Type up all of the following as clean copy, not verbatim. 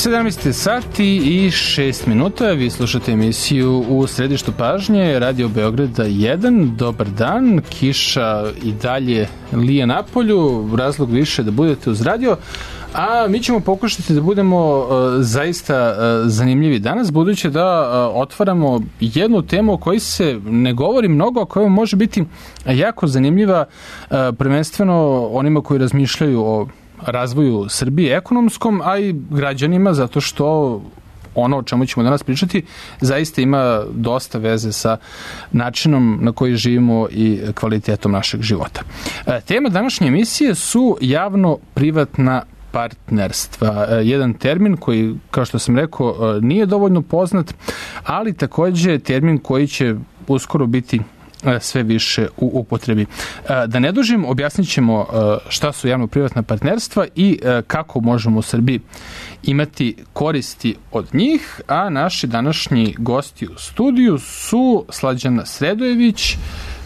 17 sati i 6 minuta. Vi slušate emisiju U središtu pažnje, Radio Beograda 1. Dobar dan. Kiša i dalje lije napolju. Razlog više da budete uz radio. A mi ćemo pokušati da budemo zaista zanimljivi danas, budući da otvaramo jednu temu o kojoj se ne govori mnogo, a koja može biti jako zanimljiva, prvenstveno onima koji razmišljaju o razvoju Srbije ekonomskom, a i građanima, zato što ono o čemu ćemo danas pričati zaista ima dosta veze sa načinom na koji živimo i kvalitetom našeg života. Tema današnje emisije su javno-privatna partnerstva. Jedan termin koji, kao što sam rekao, nije dovoljno poznat, ali takođe termin koji će uskoro biti sve više u upotrebi. Da ne dužim, objasnit ćemo šta su javno-privatna partnerstva i kako možemo u Srbiji imati koristi od njih, a naši današnji gosti u studiju su Slađana Sredojević,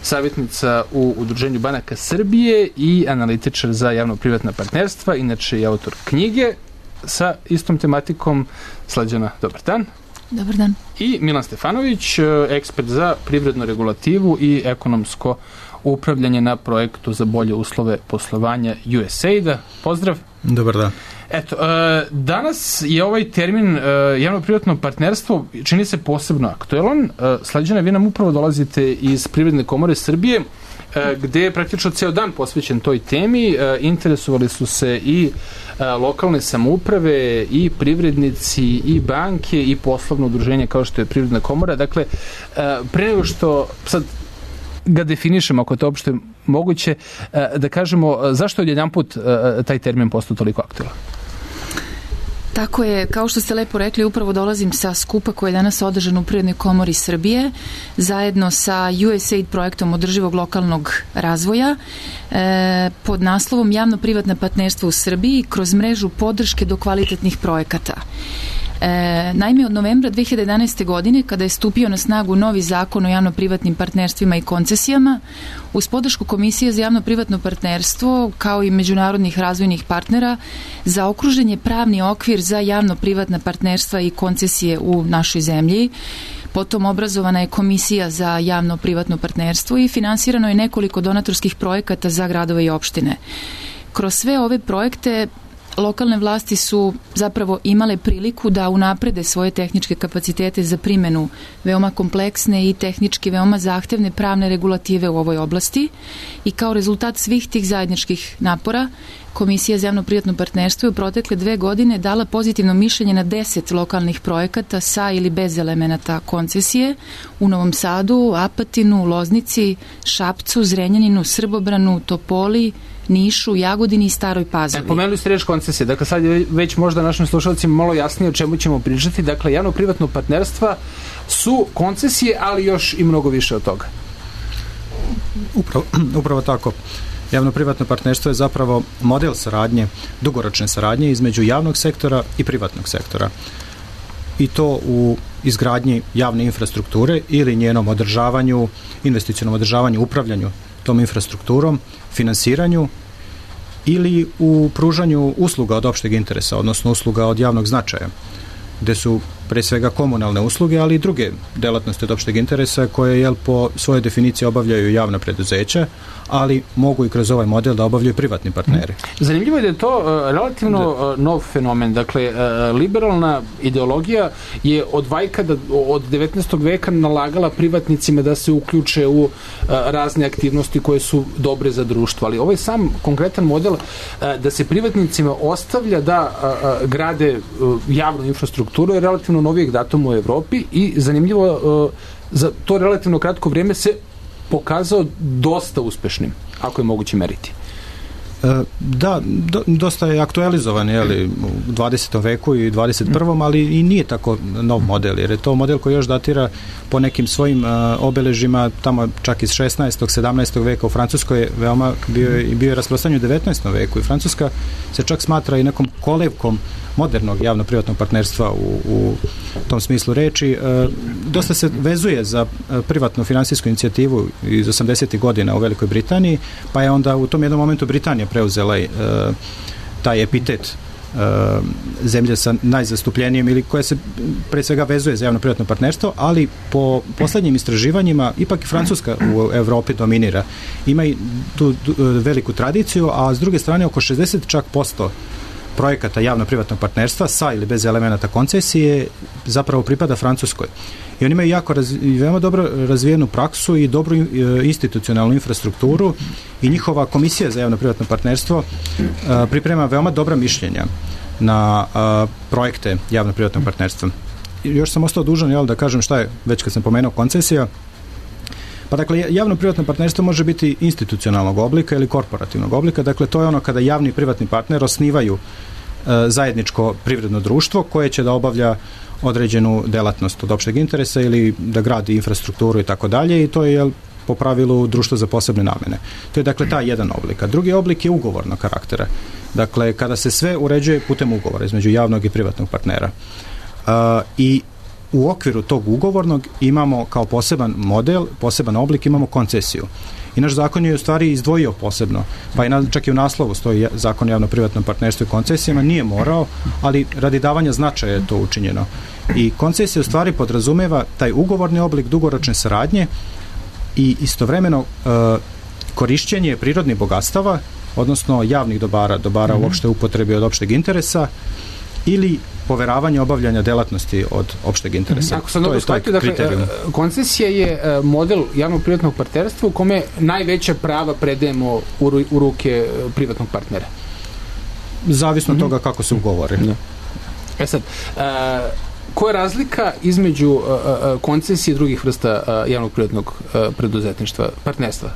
savjetnica u Udruženju banaka Srbije i analitičar za javno-privatna partnerstva, inače i autor knjige sa istom tematikom. Slađana, dobar dan. Dobar dan. I Milan Stefanović, ekspert za privrednu regulativu i ekonomsko upravljanje na projektu za bolje uslove poslovanja USAID-a. Pozdrav. Dobar dan. Eto, danas je ovaj termin javno-privatno partnerstvo čini se posebno aktuelan. Slađana, vi nam upravo dolazite iz Privredne komore Srbije, gde je praktično ceo dan posvećen toj temi. Interesovali su se i lokalne samouprave, i privrednici, i banke, i poslovno udruženje kao što je Privredna komora. Dakle, pre nego što sad ga definišemo, ako je to uopšte moguće, da kažemo zašto je odjedanput taj termin postao toliko aktuelan? Tako je, kao što ste lepo rekli, upravo dolazim sa skupa koji je danas održan u Privrednoj komori Srbije, zajedno sa USAID projektom održivog lokalnog razvoja, pod naslovom Javno-privatna partnerstva u Srbiji kroz mrežu podrške do kvalitetnih projekata. Naime, od novembra 2011. godine, kada je stupio na snagu novi zakon o javno-privatnim partnerstvima i koncesijama, uz podršku Komisije za javno-privatno partnerstvo, kao i međunarodnih razvojnih partnera, zaokružen je pravni okvir za javno-privatna partnerstva i koncesije u našoj zemlji. Potom obrazovana je Komisija za javno-privatno partnerstvo i finansirano je nekoliko donatorskih projekata za gradove i opštine. Kroz sve ove projekte lokalne vlasti su zapravo imale priliku da unaprede svoje tehničke kapacitete za primenu veoma kompleksne i tehnički veoma zahtevne pravne regulative u ovoj oblasti i kao rezultat svih tih zajedničkih napora Komisija za javno-privatno partnerstvo je u protekle 2 godine dala pozitivno mišljenje na 10 lokalnih projekata sa ili bez elemenata koncesije u Novom Sadu, Apatinu, Loznici, Šapcu, Zrenjaninu, Srbobranu, Topoli, Nišu, Jagodini i Staroj Pazovi. Pomenuli ste reč koncesije, dakle sad je već možda našim slušalcima malo jasnije o čemu ćemo pričati. Dakle, javno-privatno partnerstva su koncesije, ali još i mnogo više od toga. Upravo tako. Javno-privatno partnerstvo je zapravo model saradnje, dugoročne saradnje između javnog sektora i privatnog sektora. I to u izgradnji javne infrastrukture ili njenom održavanju, investicionom održavanju, upravljanju tom infrastrukturom, finansiranju ili u pružanju usluga od opšteg interesa, odnosno usluga od javnog značaja, gde su pre svega komunalne usluge, ali i druge delatnosti od opšteg interesa koje po svojoj definiciji obavljaju javna preduzeća, ali mogu i kroz ovaj model da obavljaju privatni partneri. Zanimljivo je da je to relativno nov fenomen. Dakle, liberalna ideologija je od 19. veka nalagala privatnicima da se uključe u razne aktivnosti koje su dobre za društvo. Ali ovaj sam konkretan model da se privatnicima ostavlja da grade javnu infrastrukturu je relativno novijeg datuma u Evropi i zanimljivo za to relativno kratko vrijeme se pokazao dosta uspešnim, ako je moguće meriti. Da, dosta je aktualizovan u 20. veku i 21. ali i nije tako nov model, jer je to model koji još datira po nekim svojim obeležima, tamo čak iz 16. 17. veka. U Francuskoj je veoma bio je rasprostranjen u 19. veku i Francuska se čak smatra i nekom kolevkom modernog javno-privatnog partnerstva u tom smislu reči. Dosta se vezuje za privatnu finansijsku inicijativu iz 80. godina u Velikoj Britaniji, pa je onda u tom jednom momentu Britanija preuzela taj epitet zemlje sa najzastupljenijim ili koja se pre svega vezuje za javno-privatno partnerstvo, ali po poslednjim istraživanjima ipak i Francuska u Evropi dominira. Ima i tu veliku tradiciju, a s druge strane oko 60% projekata javno-privatnog partnerstva sa ili bez elemenata koncesije zapravo pripada Francuskoj. I oni imaju veoma dobro razvijenu praksu i dobru institucionalnu infrastrukturu i njihova komisija za javno-privatno partnerstvo priprema veoma dobra mišljenja na projekte javno-privatnog partnerstva. Još sam ostao dužan da kažem šta je, već kad sam pomenuo koncesija. Pa dakle, javno-privatno partnerstvo može biti institucionalnog oblika ili korporativnog oblika. Dakle, to je ono kada javni i privatni partner osnivaju zajedničko privredno društvo koje će da obavlja određenu delatnost od opšteg interesa ili da gradi infrastrukturu i tako dalje, i to je po pravilu društvo za posebne namene. To je dakle taj jedan oblik. A drugi oblik je ugovornog karaktera. Dakle, kada se sve uređuje putem ugovora između javnog i privatnog partnera. I u okviru tog ugovornog imamo kao poseban model, poseban oblik, imamo koncesiju. I naš zakon je u stvari izdvojio posebno, pa i čak i u naslovu stoji zakon o javno-privatnom partnerstvu i koncesijama, nije morao, ali radi davanja značaja je to učinjeno. I koncesija u stvari podrazumeva taj ugovorni oblik dugoročne saradnje i istovremeno korišćenje prirodnih bogatstava, odnosno javnih dobara u opšte upotrebi od opšteg interesa, ili poveravanje obavljanja delatnosti od opšteg interesa. Ako sam dobro shvatio, dakle, koncesija je model javno-privatnog partnerstva u kome najveća prava predajemo u ruke privatnog partnera. Zavisno od toga kako se ugovori. Sad, koja je razlika između koncesije i drugih vrsta javno-privatnog preduzetništva, partnerstva?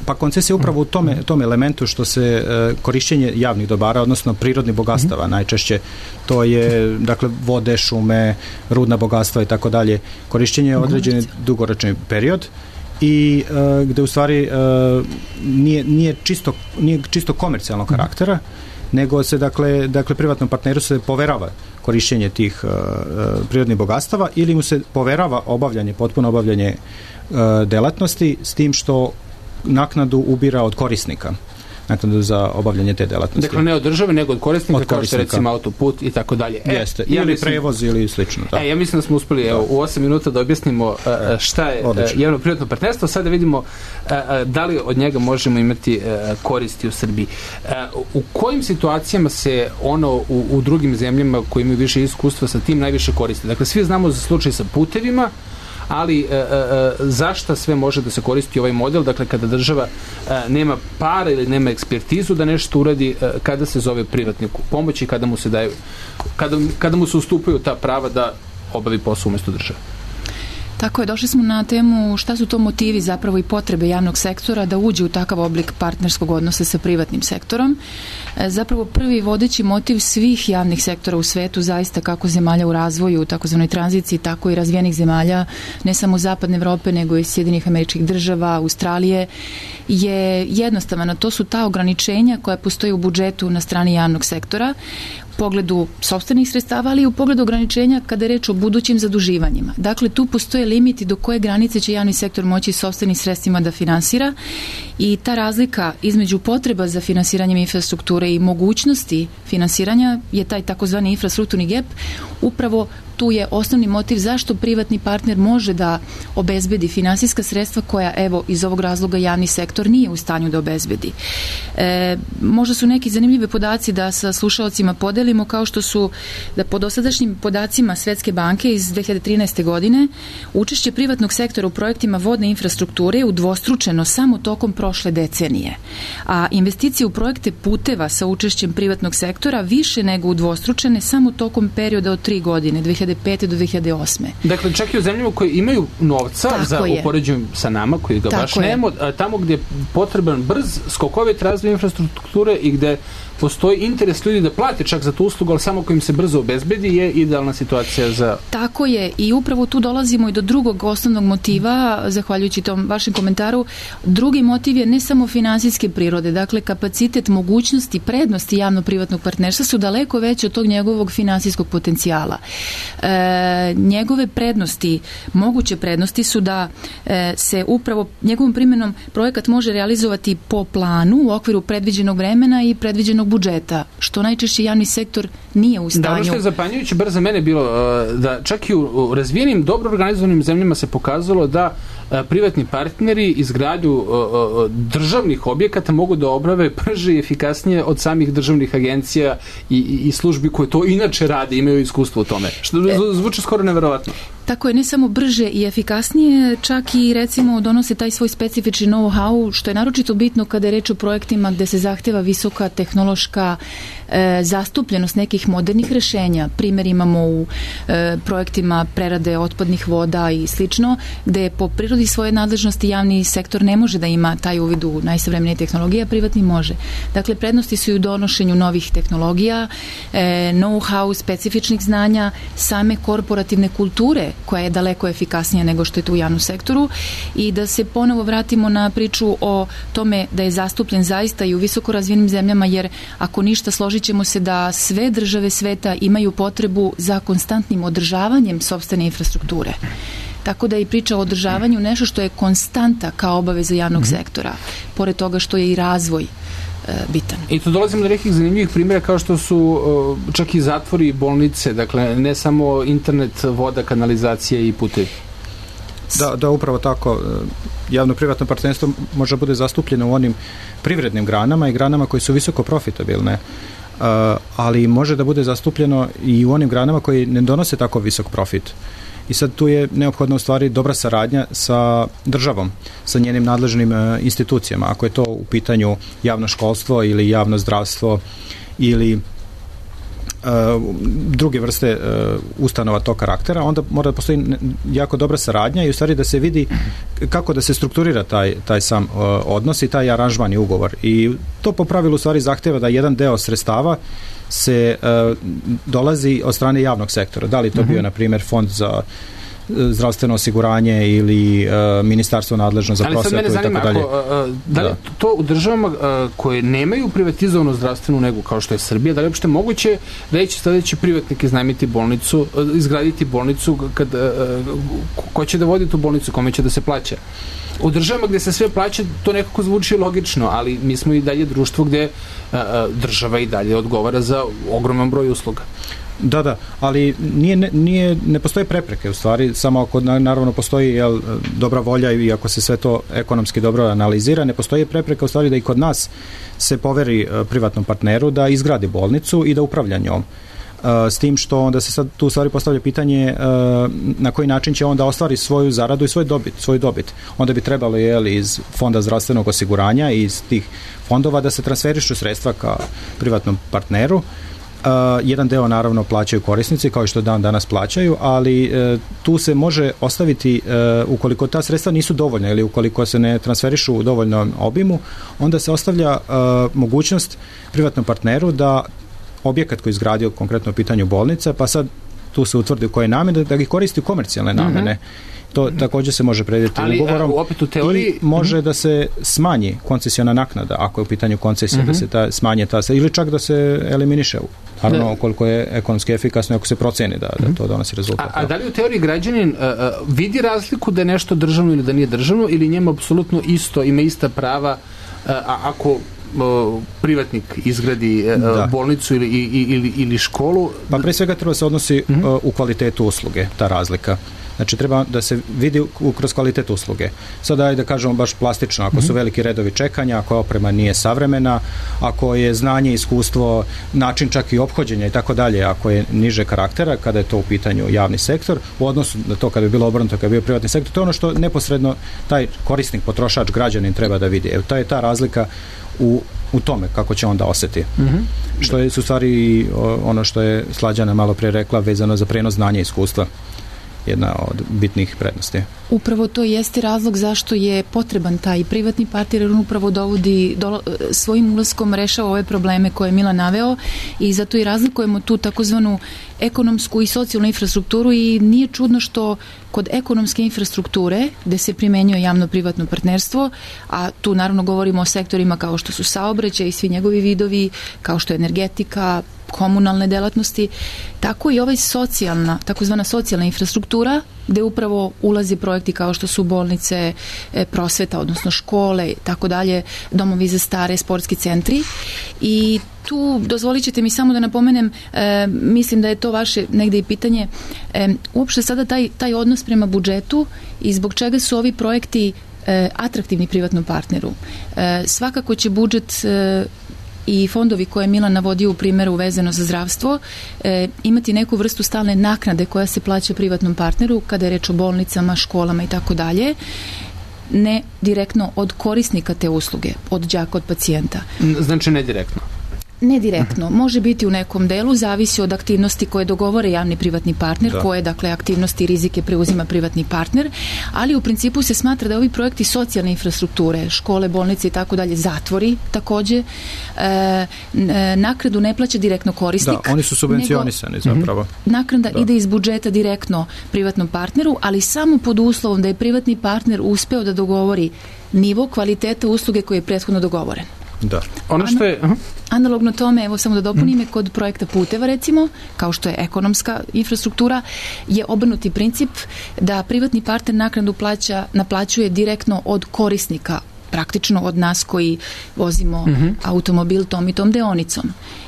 Pa koncesija je upravo u tom elementu što se korišćenje javnih dobara, odnosno prirodnih bogatstava najčešće, to je dakle vode, šume, rudna bogatstva i tako dalje, korišćenje određeni dugoročni period i gde u stvari nije čisto komercijalnog karaktera, nego se dakle privatnom partneru se poverava korišćenje tih prirodnih bogatstava ili mu se poverava potpuno obavljanje delatnosti, s tim što naknadu ubira od korisnika, naknadu za obavljanje te delatnosti. Dakle, ne od države, nego od korisnika, kao što recimo autoput i tako dalje. Jeste, ili prevoz ili slično. Ja mislim da smo uspeli u 8 minuta da objasnimo šta je javno-privatno partnerstvo, sad da vidimo da li od njega možemo imati koristi u Srbiji. U kojim situacijama se ono u drugim zemljama koji imaju više iskustva sa tim najviše koristi? Dakle, svi znamo za slučaj sa putevima, ali zašta sve može da se koristi ovaj model, dakle kada država nema para ili nema ekspertizu da nešto uradi, kada se zove privatniku pomoć i kada mu se daju, kada mu se ustupaju ta prava da obavi posao umesto države. Tako je, došli smo na temu šta su to motivi zapravo i potrebe javnog sektora da uđe u takav oblik partnerskog odnosa sa privatnim sektorom. Zapravo prvi vodeći motiv svih javnih sektora u svetu, zaista kako zemalja u razvoju, takozvanoj tranziciji, tako i razvijenih zemalja, ne samo Zapadne Evrope, nego i Sjedinjenih Američkih Država, Australije, je jednostavno, to su ta ograničenja koja postoje u budžetu na strani javnog sektora, u pogledu sopstvenih sredstava, ali i u pogledu ograničenja kada je reč o budućim zaduživanjima. Dakle, tu postoje limiti do koje granice će javni sektor moći sopstvenim sredstvima da finansira, i ta razlika između potreba za finansiranjem infrastrukture i mogućnosti finansiranja je taj takozvani infrastrukturni gap. Upravo tu je osnovni motiv zašto privatni partner može da obezbedi finansijska sredstva koja, evo, iz ovog razloga javni sektor nije u stanju da obezbedi. Možda su neki zanimljivi podaci da sa slušalcima podelimo, kao što su da po dosadašnjim podacima Svetske banke iz 2013. godine učešće privatnog sektora u projektima vodne infrastrukture je udvostručeno samo tokom prošle decenije. A investicije u projekte puteva sa učešćem privatnog sektora više nego udvostručene samo tokom perioda od 3 godine, 2005. do 2008. Dakle, čak i u zemljama koje imaju novca za upoređenju sa nama, koji ga baš nemamo, tamo gdje je potreban brz, skokovit razvoj infrastrukture i gde postoji interes ljudi da plate čak za tu uslugu, ali samo kojim se brzo obezbedi je idealna situacija za... Tako je, i upravo tu dolazimo i do drugog osnovnog motiva, zahvaljujući tom vašem komentaru. Drugi motiv je ne samo finansijske prirode, dakle kapacitet, mogućnosti, prednosti javno-privatnog partnerstva su daleko veće od tog njegovog finansijskog potencijala. Njegove prednosti, moguće prednosti su da se upravo njegovom primjenom projekat može realizovati po planu u okviru predviđenog vremena i predviđenog budžeta, što najčešće javni sektor nije u stanju. Da, ono što je zapanjujuće bar za mene bilo da čak i u razvijenim, dobro organizovanim zemljama se pokazalo da privatni partneri izgradnju državnih objekata mogu da obrave brže i efikasnije od samih državnih agencija i službi koje to inače rade, imaju iskustvo u tome. Što zvuči skoro neverovatno. Tako je, ne samo brže i efikasnije, čak i recimo donose taj svoj specifični know-how, što je naročito bitno kada je reč o projektima gde se zahteva visoka tehnološka zastupljenost nekih modernih rešenja. Primjer imamo u projektima prerade otpadnih voda i slično, gde po prirodi svoje nadležnosti javni sektor ne može da ima taj uvid u najsavremenije tehnologije, a privatni može. Dakle, prednosti su i u donošenju novih tehnologija, know-how, specifičnih znanja, same korporativne kulture, koja je daleko efikasnija nego što je to u javnom sektoru, i da se ponovo vratimo na priču o tome da je zastupljen zaista i u visoko razvijenim zemljama, jer ako ništa, složit ćemo se da sve države sveta imaju potrebu za konstantnim održavanjem sopstvene infrastrukture. Tako da je i priča o održavanju nešto što je konstanta kao obaveza javnog sektora, pored toga što je i razvoj bitan. I tu dolazimo do nekih zanimljivih primjera kao što su čak i zatvori i bolnice, dakle ne samo internet, voda, kanalizacija i putevi. Da, upravo tako. Javno-privatno partnerstvo može bude zastupljeno u onim privrednim granama i granama koje su visoko profitabilne, ali može da bude zastupljeno i u onim granama koji ne donose tako visok profit. I sad tu je neophodna u stvari dobra saradnja sa državom, sa njenim nadležnim institucijama. Ako je to u pitanju javno školstvo ili javno zdravstvo ili druge vrste ustanova tog karaktera, onda mora da postoji jako dobra saradnja i u stvari da se vidi kako da se strukturira taj sam odnos i taj aranžman i ugovor. I to po pravilu u stvari zahteva da jedan deo sredstava se dolazi od strane javnog sektora. Da li to bio, na primjer, fond za zdravstveno osiguranje ili ministarstvo nadležno za prosvetu i tako dalje. Da li to u državama koje nemaju privatizovanu zdravstvenu negu kao što je Srbija, da li je uopšte moguće da će sledeći privatnik iznajmiti bolnicu, izgraditi bolnicu, ko će da vodi tu bolnicu, kome će da se plaća? U državama gde se sve plaća, to nekako zvuči logično, ali mi smo i dalje društvo gde država i dalje odgovara za ogroman broj usluga. Da, ali ne postoje prepreke u stvari, samo ako naravno postoji dobra volja i ako se sve to ekonomski dobro analizira, ne postoji prepreka u stvari da i kod nas se poveri privatnom partneru da izgradi bolnicu i da upravlja njom. S tim što onda se sad tu u stvari postavlja pitanje na koji način će onda ostvari svoju zaradu i svoju dobit. Onda bi trebalo iz fonda zdravstvenog osiguranja i iz tih fondova da se transferišu sredstva ka privatnom partneru. Jedan deo naravno plaćaju korisnici kao što danas plaćaju, ali tu se može ostaviti ukoliko ta sredstva nisu dovoljna ili ukoliko se ne transferišu u dovoljnom obimu, onda se ostavlja mogućnost privatnom partneru da objekat koji je izgradio konkretno u pitanju bolnica, pa sad tu se utvrdi u koje namene, da ih koristi u komercijalne namene. To također se može predvidjeti ugovorom. Opet u teoriji... I može da se smanji koncesiona naknada, ako je u pitanju koncesije, da se smanje ta, ili čak da se eliminiše. Naravno, koliko je ekonomski efikasno, ako se proceni da to donosi rezultat. A da li u teoriji građanin vidi razliku da je nešto državno ili da nije državno, ili njemu apsolutno isto, ima ista prava ako privatnik izgradi bolnicu ili školu? Pa pre svega treba se odnosi u kvalitetu usluge, ta razlika. Znači treba da se vidi kroz kvalitet usluge. Sada ajde da kažemo baš plastično, ako su veliki redovi čekanja, ako oprema nije savremena, ako je znanje, iskustvo, način čak i ophođenja i tako dalje, ako je niže karaktera, kada je to u pitanju javni sektor, u odnosu na to kada je bilo obrnuto, kada je bio privatni sektor, to je ono što neposredno taj korisnik, potrošač, građanin treba da vidi. To je ta razlika u tome kako će onda osjeti. Što je u stvari ono što je Slađana malo prije rekla vezano za prenos znanja i iskustva. jedna od bitnih prednosti. Upravo to jeste razlog zašto je potreban taj privatni partner, jer on upravo svojim ulaskom rešava ove probleme koje je Milan naveo i zato i razlikujemo tu takozvanu ekonomsku i socijalnu infrastrukturu i nije čudno što kod ekonomske infrastrukture gde se primenjuje javno-privatno partnerstvo, a tu naravno govorimo o sektorima kao što su saobraćaj i svi njegovi vidovi, kao što je energetika, komunalne delatnosti, tako i ovaj takozvana socijalna infrastruktura gde upravo ulazi projekti kao što su bolnice, prosveta, odnosno škole, tako dalje, domovi za stare, sportski centri. I tu dozvolit ćete mi samo da napomenem, mislim da je to vaše negde i pitanje, uopšte sada taj odnos prema budžetu i zbog čega su ovi projekti atraktivni privatnom partneru. Svakako će budžet i fondovi koje je Milan navodio u primjeru vezano za zdravstvo imati neku vrstu stalne naknade koja se plaća privatnom partneru kada je reč o bolnicama, školama i tako dalje, ne direktno od korisnika te usluge, od đaka, od pacijenta. Znači ne direktno? Ne direktno, može biti u nekom delu, zavisi od aktivnosti koje dogovore javni privatni partner, koje dakle aktivnosti i rizike preuzima privatni partner, ali u principu se smatra da ovi projekti socijalne infrastrukture, škole, bolnice i tako dalje, zatvori takođe, naknadu ne plaća direktno korisnik. Da, oni su subvencionisani zapravo. Naknada ide iz budžeta direktno privatnom partneru, ali samo pod uslovom da je privatni partner uspeo da dogovori nivo kvaliteta usluge koji je prethodno dogovoren. Da. Ono što je... Analogno tome, evo samo da dopunim, kod projekta puteva recimo, kao što je ekonomska infrastruktura, je obrnuti princip da privatni partner naknadu naplaćuje direktno od korisnika, praktično od nas koji vozimo automobil tom i tom deonicom.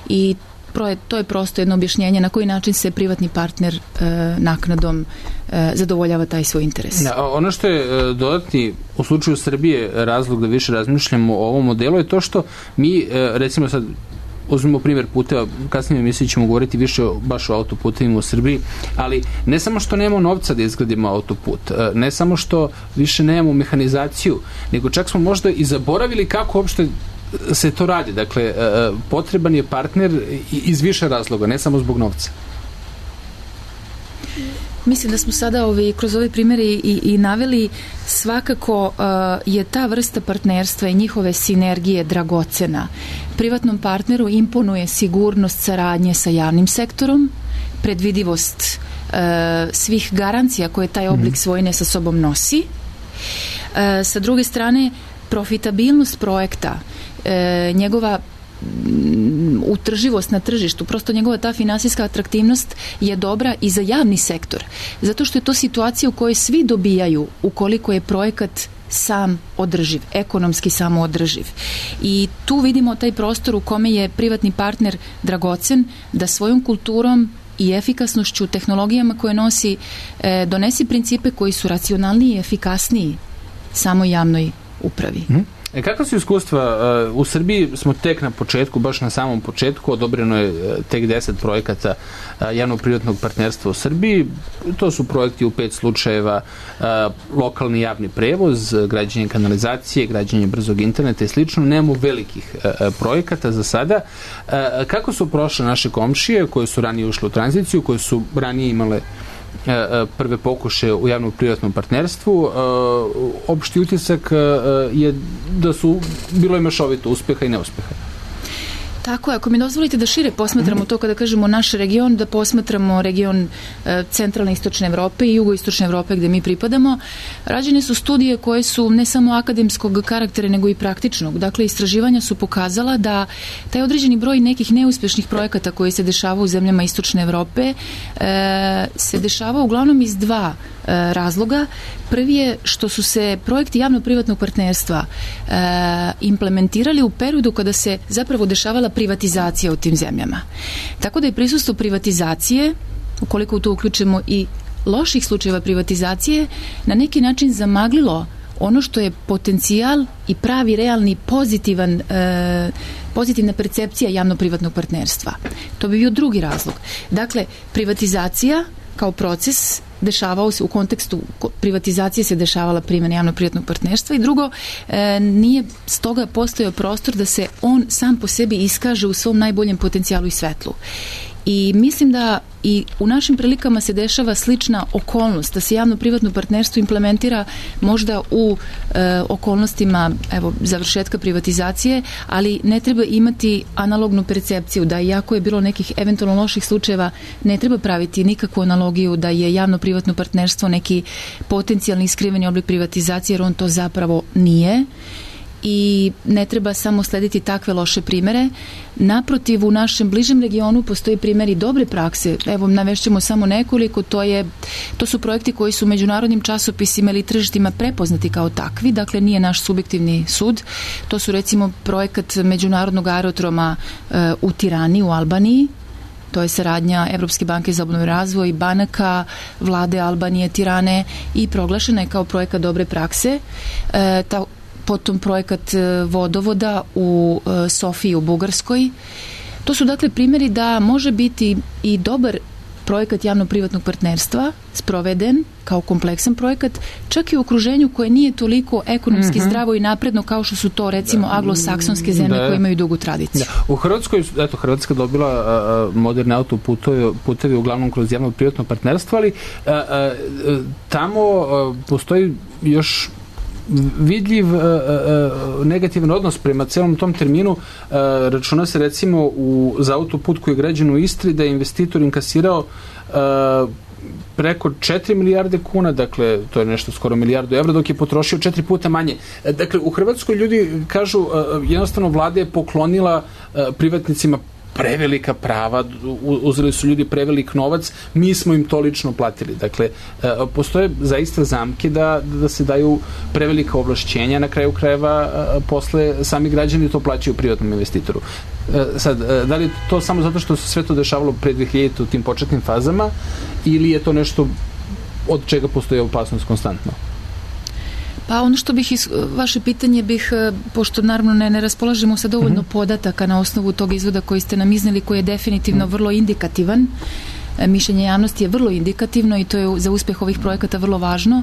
I to je prosto jedno objašnjenje na koji način se privatni partner naknadom zadovoljava taj svoj interes. Ono što je dodatni u slučaju Srbije razlog da više razmišljamo o ovom modelu je to što mi, recimo sad uzmemo primjer puteva, kasnije emisiji ćemo govoriti više baš o autoputevima u Srbiji, ali ne samo što nemamo novca da izgradimo autoput, ne samo što više nemamo mehanizaciju, nego čak smo možda i zaboravili kako uopšte se to radi. Dakle, potreban je partner iz više razloga, ne samo zbog novca. Mislim da smo sada kroz ove primjere i naveli, svakako je ta vrsta partnerstva i njihove sinergije dragocena. Privatnom partneru imponuje sigurnost saradnje sa javnim sektorom, predvidivost svih garancija koje taj oblik svojine sa sobom nosi. Sa druge strane, profitabilnost projekta, njegova utrživost na tržištu, prosto njegova ta finansijska atraktivnost je dobra i za javni sektor, zato što je to situacija u kojoj svi dobijaju ukoliko je projekat sam održiv, ekonomski samo održiv. I tu vidimo taj prostor u kome je privatni partner dragocen da svojom kulturom i efikasnošću, tehnologijama koje nosi, donesi principe koji su racionalniji i efikasniji samoj javnoj upravi. Kakva su iskustva? U Srbiji smo tek na početku, baš na samom početku, odobreno je tek 10 projekata javno-privatnog partnerstva u Srbiji. To su projekti u 5 slučajeva: lokalni javni prevoz, građenje kanalizacije, građenje brzog interneta i slično. Nemamo velikih projekata za sada. Kako su prošle naše komšije koje su ranije ušle u tranziciju, koje su ranije imale prve pokušaje u javno-privatnom partnerstvu? Opšti utisak je da bilo je mešovito uspeha i neuspeha. Tako je, ako mi dozvolite da šire posmatramo to kada kažemo naš region, da posmatramo region centralne istočne Evrope i jugoistočne Evrope gde mi pripadamo, rađene su studije koje su ne samo akademskog karaktera nego i praktičnog. Dakle, istraživanja su pokazala da taj određeni broj nekih neuspešnih projekata koji se dešava u zemljama istočne Evrope se dešava uglavnom iz dva razloga. Prvi je što su se projekti javno-privatnog partnerstva implementirali u periodu kada se zapravo dešavala privatizacija u tim zemljama. Tako da je prisustvo privatizacije, ukoliko u to uključimo i loših slučajeva privatizacije, na neki način zamaglilo ono što je potencijal i pravi, realni, pozitivna percepcija javno-privatnog partnerstva. To bi bio drugi razlog. Dakle, privatizacija kao proces dešavao se u kontekstu privatizacije se dešavala primjena javno-privatnog partnerstva i drugo, nije stoga postojao prostor da se on sam po sebi iskaže u svom najboljem potencijalu i svetlu. I mislim da i u našim prilikama se dešava slična okolnost, da se javno-privatno partnerstvo implementira možda u okolnostima završetka privatizacije, ali ne treba imati analognu percepciju da iako je bilo nekih eventualno loših slučajeva, ne treba praviti nikakvu analogiju da je javno-privatno partnerstvo neki potencijalni iskriveni oblik privatizacije, jer on to zapravo nije. I ne treba samo slediti takve loše primere. Naprotiv, u našem bližem regionu postoji primjeri dobre prakse. Evo, navešćemo samo nekoliko. To su projekti koji su u međunarodnim časopisima ili tržištima prepoznati kao takvi, dakle nije naš subjektivni sud. To su recimo projekat međunarodnog aerodroma u Tirani, u Albaniji. To je saradnja Evropske banke za obnovu i razvoj, banaka, vlade Albanije, Tirane, i proglašena je kao projekat dobre prakse. Potom projekat vodovoda u Sofiji u Bugarskoj. To su dakle primjeri da može biti i dobar projekat javno-privatnog partnerstva sproveden kao kompleksan projekat, čak i u okruženju koje nije toliko ekonomski zdravo i napredno kao što su to recimo anglosaksonske zemlje koje imaju dugu tradiciju. U Hrvatskoj, Hrvatska dobila moderne autoputevi uglavnom kroz javno-privatno partnerstvo, ali tamo postoji još vidljiv negativan odnos prema celom tom terminu. Računa se recimo za autoput koji je građen u Istri da je investitor inkasirao preko 4 milijarde kuna, dakle to je nešto skoro milijardu evra, dok je potrošio 4 puta manje. Dakle, u Hrvatskoj ljudi kažu jednostavno vlada je poklonila privatnicima prevelika prava, uzeli su ljudi prevelik novac, mi smo im to lično platili. Dakle, postoje zaista zamke da se daju prevelika ovlašćenja, na kraju krajeva posle sami građani to plaćaju privatnom investitoru. Sad, da li je to samo zato što se sve to dešavalo pre 2000 u tim početnim fazama, ili je to nešto od čega postoji opasnost konstantno? Pa ono što vaše pitanje pošto naravno ne raspolažemo sa dovoljno podataka na osnovu tog izvoda koji ste nam izneli, koji je definitivno vrlo indikativan. Mišljenje javnosti je vrlo indikativno i to je za uspeh ovih projekata vrlo važno,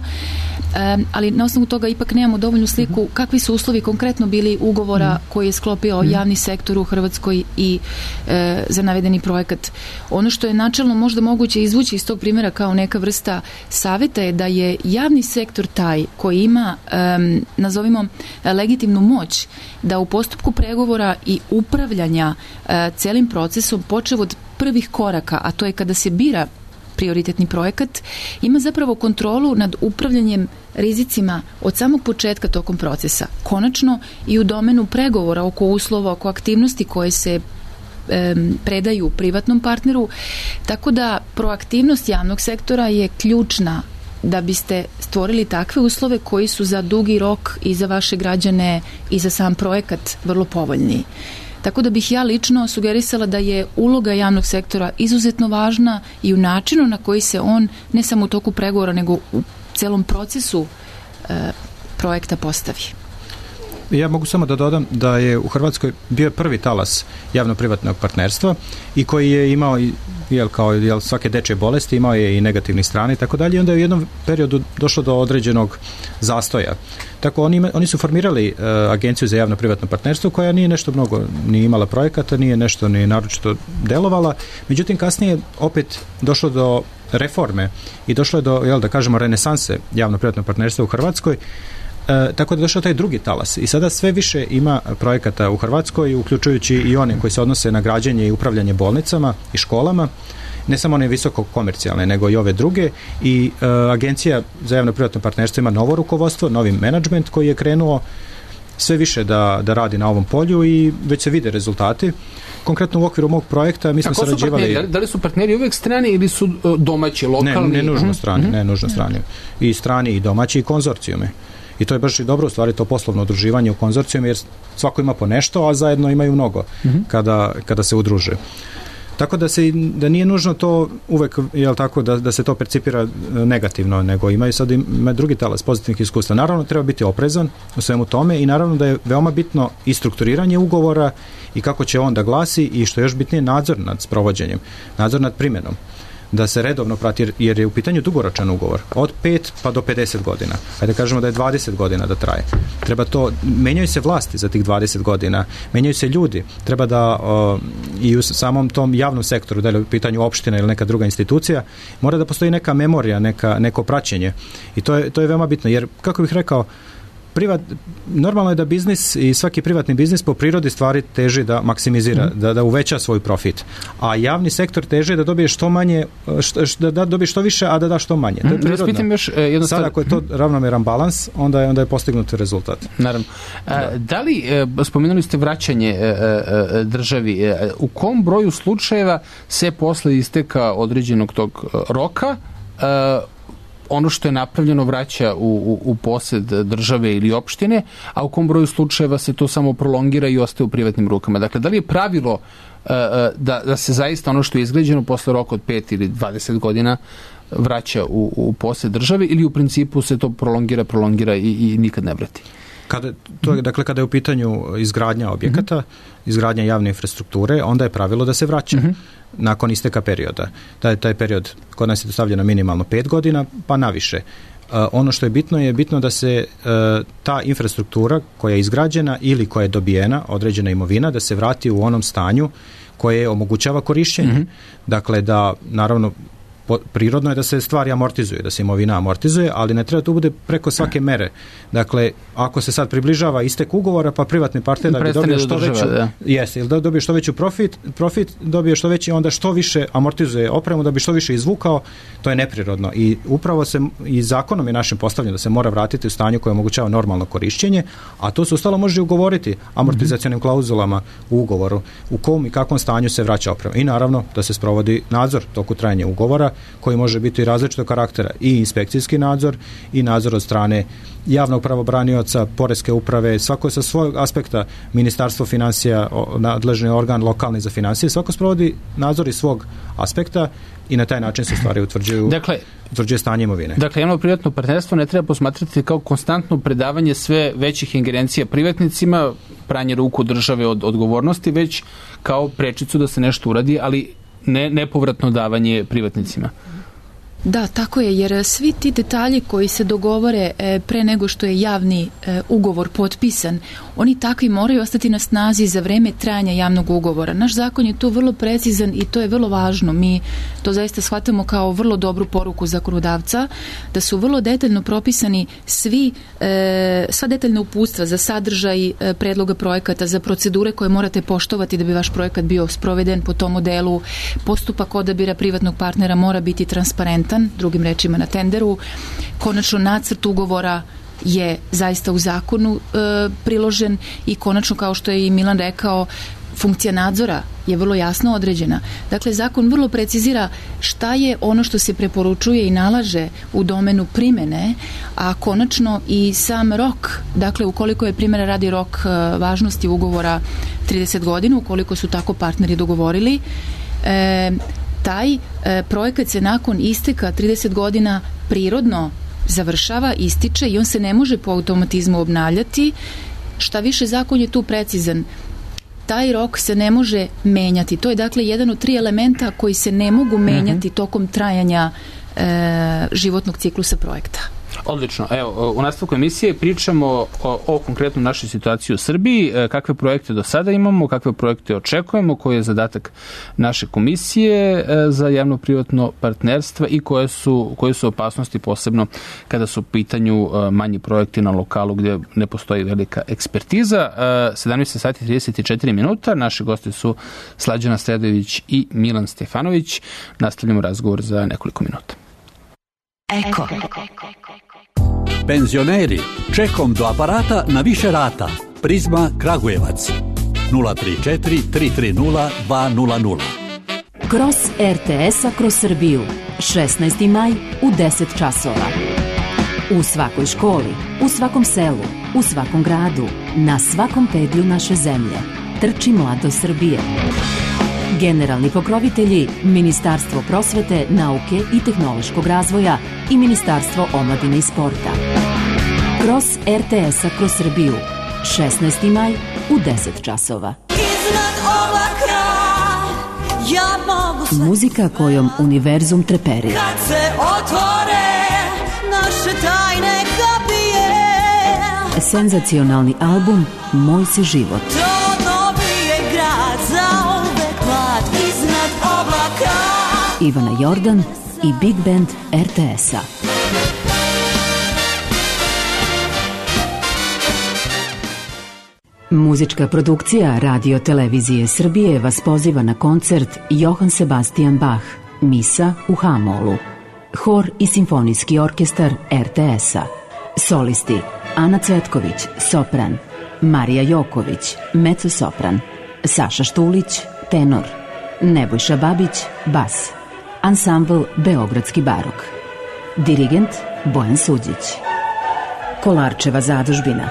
ali na osnovu toga ipak nemamo dovoljnu sliku kakvi su uslovi konkretno bili ugovora koji je sklopio javni sektor u Hrvatskoj i za navedeni projekat. Ono što je načelno možda moguće izvući iz tog primjera kao neka vrsta savjeta je da je javni sektor taj koji ima, nazovimo, legitimnu moć da u postupku pregovora i upravljanja celim procesom, počev od prvih koraka, a to je kada se bira prioritetni projekat, ima zapravo kontrolu nad upravljanjem rizicima od samog početka tokom procesa. Konačno i u domenu pregovora oko uslova, oko aktivnosti koje se predaju privatnom partneru, tako da proaktivnost javnog sektora je ključna da biste stvorili takve uslove koji su za dugi rok i za vaše građane i za sam projekat vrlo povoljni. Tako da bih ja lično sugerisala da je uloga javnog sektora izuzetno važna i u načinu na koji se on, ne samo u toku pregovora, nego u celom procesu projekta postavi. Ja mogu samo da dodam da je u Hrvatskoj bio prvi talas javno-privatnog partnerstva i koji je imao, kao svake dečje bolesti, imao je i negativne strane i tako dalje. Onda je u jednom periodu došlo do određenog zastoja. Tako oni su formirali agenciju za javno-privatno partnerstvo koja nije nešto mnogo ni imala projekata, nije nešto ni naročito delovala. Međutim, kasnije opet došlo do reforme i došlo je do, da kažemo, renesanse javno-privatnog partnerstva u Hrvatskoj. Tako da je došao taj drugi talas i sada sve više ima projekata u Hrvatskoj, uključujući i one koji se odnose na građenje i upravljanje bolnicama i školama, ne samo one visoko komercijalne, nego i ove druge, i Agencija za javno-privatno partnerstvo ima novo rukovodstvo, novi menadžment koji je krenuo sve više da radi na ovom polju i već se vide rezultati. Konkretno u okviru mog projekta mi smo sarađivali... Da li su partneri uvek strani ili su domaći, lokalni? Ne nužno strani, ne nužno strani. I strani i domaći i konzorcijumi. I to je baš i dobro, u stvari, to poslovno udruživanje u konzorcijum, jer svako ima po nešto, a zajedno imaju mnogo kada se udruže. Tako da nije nužno to uvek, tako, da se to percipira negativno, nego ima drugi talas pozitivnih iskustva. Naravno, treba biti oprezan u svemu tome i naravno da je veoma bitno i strukturiranje ugovora i kako će on da glasi i što je još bitnije, nadzor nad sprovođenjem, nadzor nad primjenom. da se redovno prati, jer je u pitanju dugoročan ugovor, od 5 pa do 50 godina. Hajde da kažemo da je 20 godina da traje. Treba to, menjaju se vlasti za tih 20 godina, menjaju se ljudi, treba da i u samom tom javnom sektoru, da je u pitanju opština ili neka druga institucija, mora da postoji neka memorija, neko praćenje. I to je veoma bitno, jer, kako bih rekao, normalno je da biznis i svaki privatni biznis po prirodi stvari teži da maksimizira, da uveća svoj profit. A javni sektor teži da dobije što manje, da dobije što više, a da da što manje. To je prirodno. Sad ako je to ravnomeran balans, onda je postignut rezultat. Naravno. Da li, spomenuli ste vraćanje državi, u kom broju slučajeva se posle isteka određenog tog roka ono što je napravljeno vraća u posed države ili opštine, a u kom broju slučajeva se to samo prolongira i ostaje u privatnim rukama? Dakle, da li je pravilo da se zaista ono što je izgrađeno posle roka od 5 ili 20 godina vraća u posed države, ili u principu se to prolongira i nikad ne vrati? Kada je u pitanju izgradnja objekata, izgradnja javne infrastrukture, onda je pravilo da se vraća nakon isteka perioda. Taj period kod nas je stavljeno minimalno 5 godina, pa naviše. Ono što je bitno da se ta infrastruktura koja je izgrađena ili koja je dobijena, određena imovina, da se vrati u onom stanju koje omogućava korišćenje. Dakle, da, naravno, prirodno je da se stvari amortizuje, da se imovina amortizuje, ali ne treba to bude preko svake mere. Dakle, ako se sad približava istek ugovora, pa privatni partner da bi dobio što veću, ili da dobije što veću profit dobije što veći, onda što više amortizuje opremu da bi što više izvukao, to je neprirodno. I upravo se i zakonom je našem postavljeno da se mora vratiti u stanju koje omogućava normalno korišćenje, a to se ostalo može ugovoriti amortizacionim klauzulama u ugovoru, u kom i kakvom stanju se vraća oprema. I naravno da se sprovodi nadzor toku trajanja ugovora, koji može biti različitog karaktera, i inspekcijski nadzor i nadzor od strane javnog pravobranioca, poreske uprave, svako sa svojeg aspekta, Ministarstvo financija, nadležni organ lokalni za financije, svako sprovodi nadzor iz svog aspekta i na taj način se stvari utvrđuje stanje imovine. Dakle, javno-privatno partnerstvo ne treba posmatrati kao konstantno predavanje sve većih ingerencija privatnicima, pranje ruku države od odgovornosti, već kao prečicu da se nešto uradi, ali nepovratno davanje privatnicima. Da, tako je, jer svi ti detalji koji se dogovore pre nego što je javni ugovor potpisan, oni takvi moraju ostati na snazi za vreme trajanja javnog ugovora. Naš zakon je tu vrlo precizan i to je vrlo važno. Mi to zaista shvatamo kao vrlo dobru poruku zakonodavca, da su vrlo detaljno propisani sva detaljna uputstva za sadržaj predloga projekata, za procedure koje morate poštovati da bi vaš projekat bio sproveden po tom modelu. Postupak odabira privatnog partnera mora biti transparentan, drugim rečima na tenderu. Konačno nacrt ugovora je zaista u zakonu priložen i konačno, kao što je i Milan rekao, funkcija nadzora je vrlo jasno određena. Dakle, zakon vrlo precizira šta je ono što se preporučuje i nalaže u domenu primene, a konačno i sam rok. Dakle, ukoliko je primjera radi rok važnosti ugovora 30 godina, ukoliko su tako partneri dogovorili, taj projekat se nakon isteka 30 godina prirodno završava, ističe i on se ne može po automatizmu obnavljati. Šta više, zakon je tu precizan. Taj rok se ne može menjati. To je dakle jedan od 3 elementa koji se ne mogu menjati tokom trajanja životnog ciklusa projekta. Odlično. Evo, u nastavku emisije pričamo o konkretno našoj situaciji u Srbiji, kakve projekte do sada imamo, kakve projekte očekujemo, koji je zadatak naše komisije za javno-privatno partnerstvo i koje su opasnosti, posebno kada su u pitanju manji projekti na lokalu gdje ne postoji velika ekspertiza. 17 sati 34 minuta. Naši gosti su Slađana Sredojević i Milan Stefanović. Nastavljamo razgovor za nekoliko minuta. Eko. Penzioneri, čekom do aparata na više rata. Prizma Kragujevac 034 330 200. Kroz RTS-a kroz Srbiju 16. maj u 10 časova. U svakoj školi, u svakom selu, u svakom gradu, na svakom pedlju naše zemlje. Trči mladost Srbije. Generalni pokrovitelji Ministarstvo prosvete, nauke i tehnološkog razvoja i Ministarstvo omladine i sporta. Kroz RTS-a kroz Srbiju 16. maj u 10 časova. Iznad oblaka ja mogu sve. Muzika kojom univerzum treperi. Kad se otvore naše tajne kapije. Senzacionalni album Moj si život. To dobije grad zauvek mlad iznad oblaka. Ivana Jordan i Big Band RTS-a. Muzička produkcija Radio Televizije Srbije vas poziva na koncert Johann Sebastian Bach, Misa u H-molu. Hor i simfonijski orkestar RTS-a. Solisti Ana Cvetković, sopran, Marija Joković, mezzo-sopran, Saša Štulić, tenor, Nebojša Babić, bas. Ansambl Beogradski barok. Dirigent Bojan Suđić. Kolarčeva zadužbina,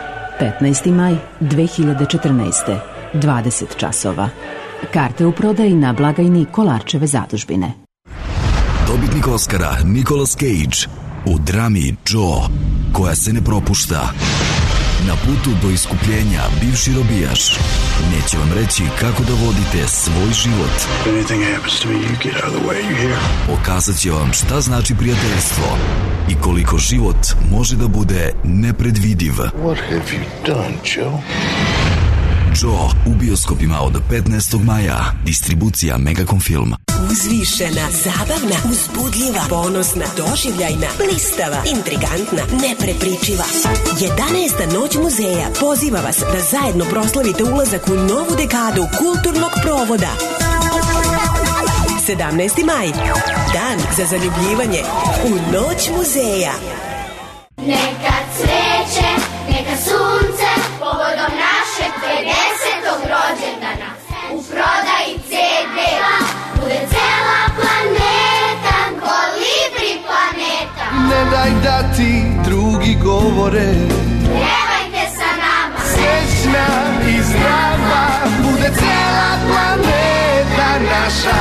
15. maj 2014. 20 časova. Karte u prodaji na blagajni Kolarčeve zadužbine. Dobitnik Oskara Nicolas Cage u drami Joe, koja se ne propušta. Na putu do iskupljenja bivši robijaš neće vam reći kako da vodite svoj život. Pokazat će vam šta znači prijateljstvo i koliko život može da bude nepredvidiv. What have you done, Joe? Joe u bioskopima od 15. maja. Distribucija Megacom Film. Uzvišena, zabavna, uzbudljiva, ponosna, doživljajna, blistava, intrigantna, neprepričiva. 11. noć muzeja poziva vas da zajedno proslavite ulazak u novu dekadu kulturnog provoda. 17. maj, dan za zaljubljivanje u noć muzeja. Neka cveće, neka sunce, povodom našeg 50. rođendana. U prodaji CD-a bude cela planeta, Kolibri planeta. Ne daj da ti drugi govore, Pjevajte sa nama, srećna i zdrava, bude cela planeta naša.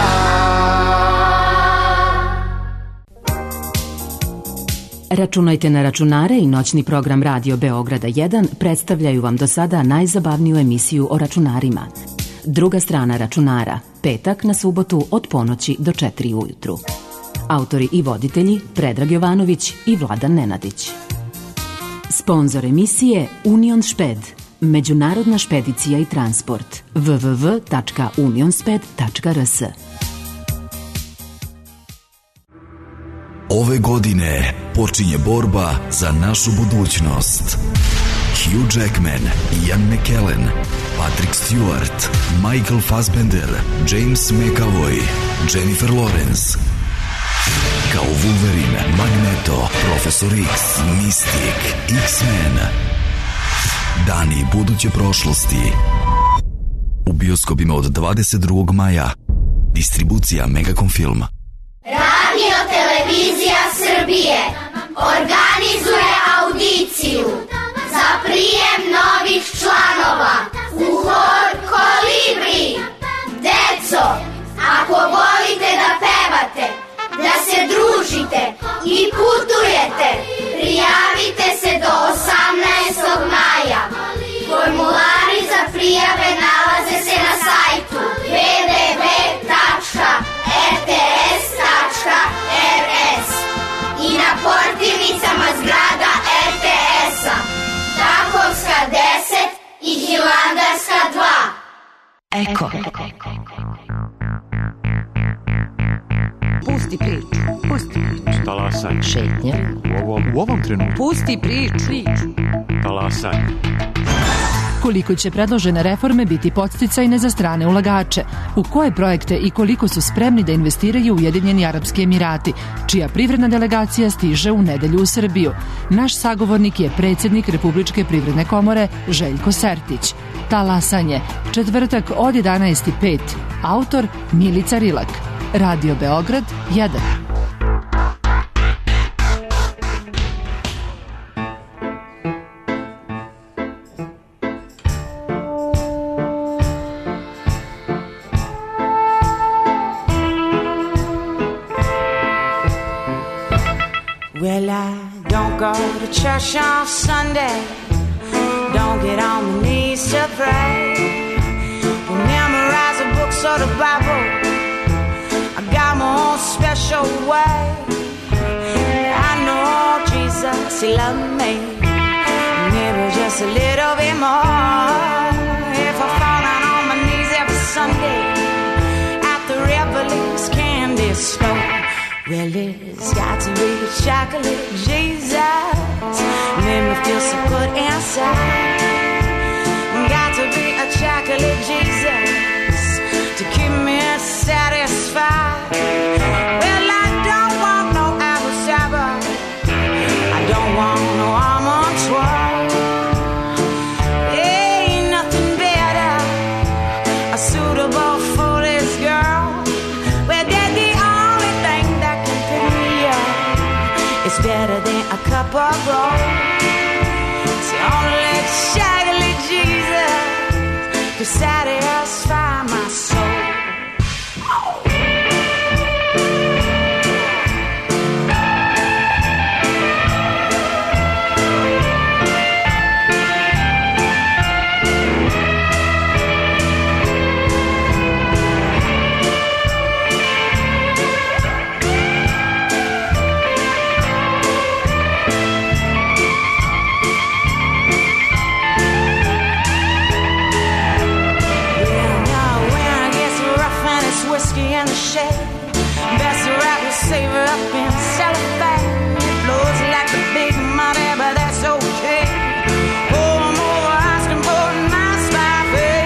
Računajte na računare i noćni program Radio Beograda 1 predstavljaju vam do sada najzabavniju emisiju o računarima. Druga strana računara, petak na subotu od ponoći do 4 ujutru. Autori i voditelji Predrag Jovanović i Vladan Nenadić. Sponzor emisije Union Šped, međunarodna špedicija i transport, www.unionsped.rs. Ove godine počinje borba za našu budućnost. Hugh Jackman, Ian McKellen, Patrick Stewart, Michael Fassbender, James McAvoy, Jennifer Lawrence. Kao Wolverine, Magneto, Profesor X, Mystic, X-Men. Dani buduće prošlosti. U bioskopima od 22. maja. Distribucija Megacom Film. Radio Televizija Srbije organizuje audiciju za prijem novih članova u hor Kolibri. Deco, ako volite da pevate, da se družite i putujete, prijavite se do 18. maja. Formulari za prijave nalaze se na sajtu www.rts.rs i na portirnicama zgrada RTS-a, Takovska 10 i Hilandarska 2. Eko. Pusti priču. Talasaj. Šetnja. U ovom trenutku. Pusti priču. Talasaj. Koliko će predložene reforme biti podsticajne za strane ulagače? U koje projekte i koliko su spremni da investiraju Ujedinjeni Arapski Emirati, čija privredna delegacija stiže u nedelju u Srbiju? Naš sagovornik je predsjednik Republičke privredne komore Željko Sertić. Talasanje, četvrtak od 11:05. Autor Milica Rilak. Radio Beograd 1. Well, I don't go to church on Sunday, don't get on my knees to pray, don't memorize the books or the Bible, special way. I know Jesus, He loved me, maybe just a little bit more. If I fall down on my knees every Sunday at the Revelings candy store, well, it's got to be a chocolate Jesus, made me feel so good inside. Got to be a chocolate Jesus to keep me satisfied. Well, I don't want no apple cider, I don't want no almond twirl. Ain't nothing better suitable for this girl. Well, that's the only thing that can pick me up. It's better than a cup of gold. It's the only chocolate Jesus to satisfy my soul. Best wrap your savor up in cellophane. It blows like the big money, but that's okay. Oh, I'm over asking for a nice buffet.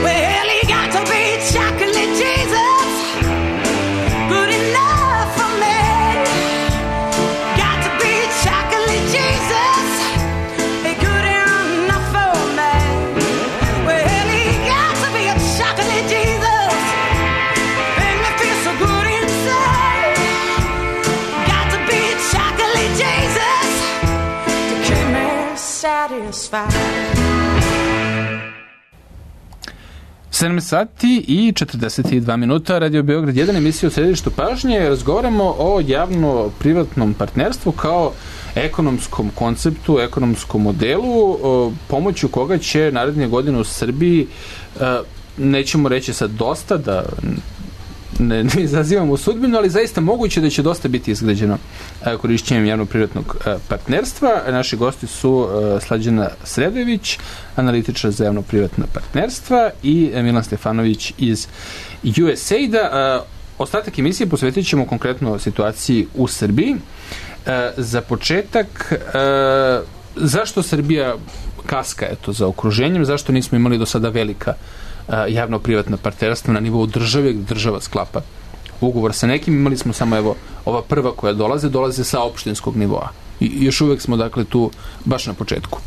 Well, he got to be chocolate Jesus, good enough for me. Got to be chocolate Jesus, good enough for me. Well, he got to be a chocolate Jesus. Satisfied. 7 sati i 42 minuta, Radio Beograd 1, emisija u središtu pažnje. Razgovaramo o javno-privatnom partnerstvu kao ekonomskom konceptu, ekonomskom modelu, pomoću koga će naredne godine u Srbiji, nećemo reći sad dosta, da ne izazivamo sudbinu, ali zaista moguće da će dosta biti izgrađeno korišćenjem javno-privatnog partnerstva. Naši gosti su Slađana Sredojević, analitičar za javno-privatna partnerstva, i Milan Stefanović iz USAID-a. Ostatak emisije posvetit ćemo konkretno situaciji u Srbiji. Za početak, zašto Srbija kaska za okruženjem, zašto nismo imali do sada velika javno-privatna partnerstva na nivou države, gde država sklapa ugovor sa nekim. Imali smo samo ova prva koja dolaze sa opštinskog nivoa. I još uvek smo dakle tu baš na početku.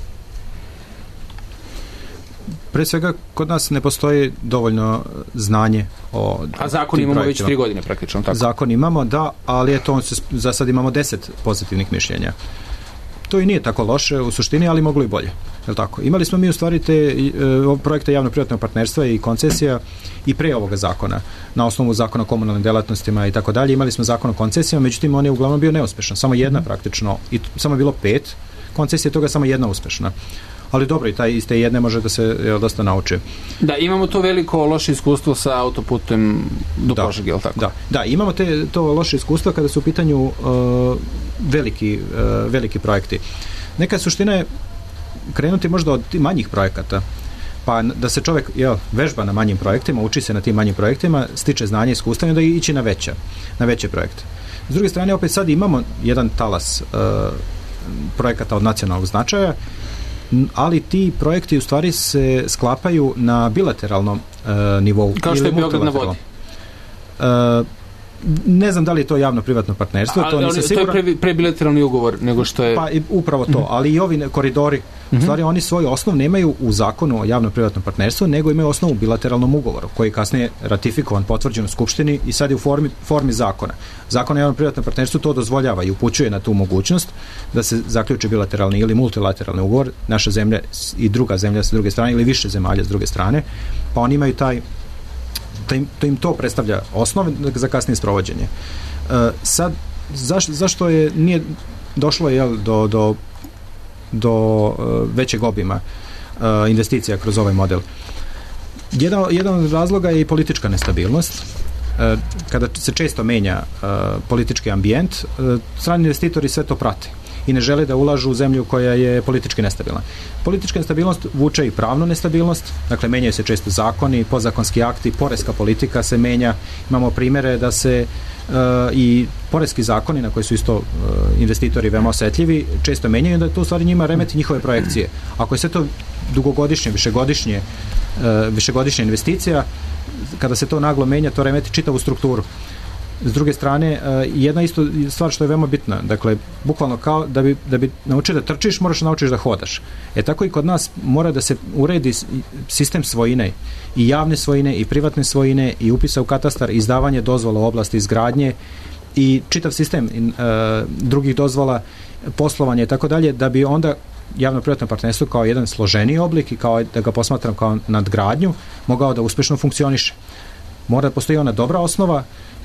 Pre svega, kod nas ne postoji dovoljno znanje o a zakon imamo projektima. Već 3 godine praktično, tako? Zakon imamo, da, ali za sad imamo 10 pozitivnih mišljenja. To i nije tako loše u suštini, ali moglo i bolje. Je tako? Imali smo mi u stvari te projekte javno-privatnog partnerstva i koncesija i pre ovoga zakona. Na osnovu zakona o komunalnim delatnostima i tako dalje. Imali smo zakon o koncesijama, međutim on je uglavnom bio neuspešan. Samo jedna praktično, i samo je bilo 5 koncesije, toga samo jedna uspešna. Ali dobro, i iz te jedne može da se dosta nauče. Da, imamo to veliko loše iskustvo sa autoputem do Požege, je li tako? Da, imamo to loše iskustvo kada su u pitanju veliki projekti. Neka suština je krenuti možda od manjih projekata, pa da se čovjek vežba na manjim projektima, uči se na tim manjim projektima, stiče znanje i iskustvo i onda ići na veće projekte. S druge strane, opet sad imamo jedan talas projekata od nacionalnog značaja, ali ti projekti u stvari se sklapaju na bilateralnom nivou. Kao što je Beograd na vodi. Ne znam da li je to javno-privatno partnerstvo. To je prebilateralni ugovor nego što je... Pa upravo to, ali i ovi koridori, u stvari oni svoj osnov nemaju u zakonu o javno-privatnom partnerstvu, nego imaju osnov u bilateralnom ugovoru, koji je kasnije ratifikovan, potvrđen u Skupštini i sad je u formi zakona. Zakon o javno-privatnom partnerstvu to dozvoljava i upućuje na tu mogućnost da se zaključi bilateralni ili multilateralni ugovor, naša zemlja i druga zemlja sa druge strane ili više zemalja s druge strane, pa oni imaju to im to predstavlja osnov za kasnije sprovođenje. Sad, zašto nije došlo do većeg obima investicija kroz ovaj model? Jedan od razloga je i politička nestabilnost. kada se često menja politički ambijent, strani investitori sve to prate i ne žele da ulažu u zemlju koja je politički nestabilna. Politička nestabilnost vuče i pravnu nestabilnost, dakle menjaju se često zakoni, podzakonski akti, poreska politika se menja. Imamo primere da se i poreski zakoni na koji su isto investitori veoma osetljivi često menjaju, da to u stvari njima remeti njihove projekcije. Ako je sve to dugogodišnje, višegodišnja investicija, kada se to naglo menja, to remeti čitavu strukturu. S druge strane, jedna isto stvar što je veoma bitna, dakle, bukvalno kao da bi naučio da trčiš, moraš da naučiš da hodaš. Tako i kod nas mora da se uredi sistem svojine, i javne svojine, i privatne svojine, i upisa u katastar, izdavanje dozvola u oblasti izgradnje i čitav sistem drugih dozvola, poslovanje i tako dalje, da bi onda javno-privatno partnerstvo kao jedan složeniji oblik i kao da ga posmatram kao nadgradnju, mogao da uspešno funkcioniše. Mora da postoji ona dobra osnova,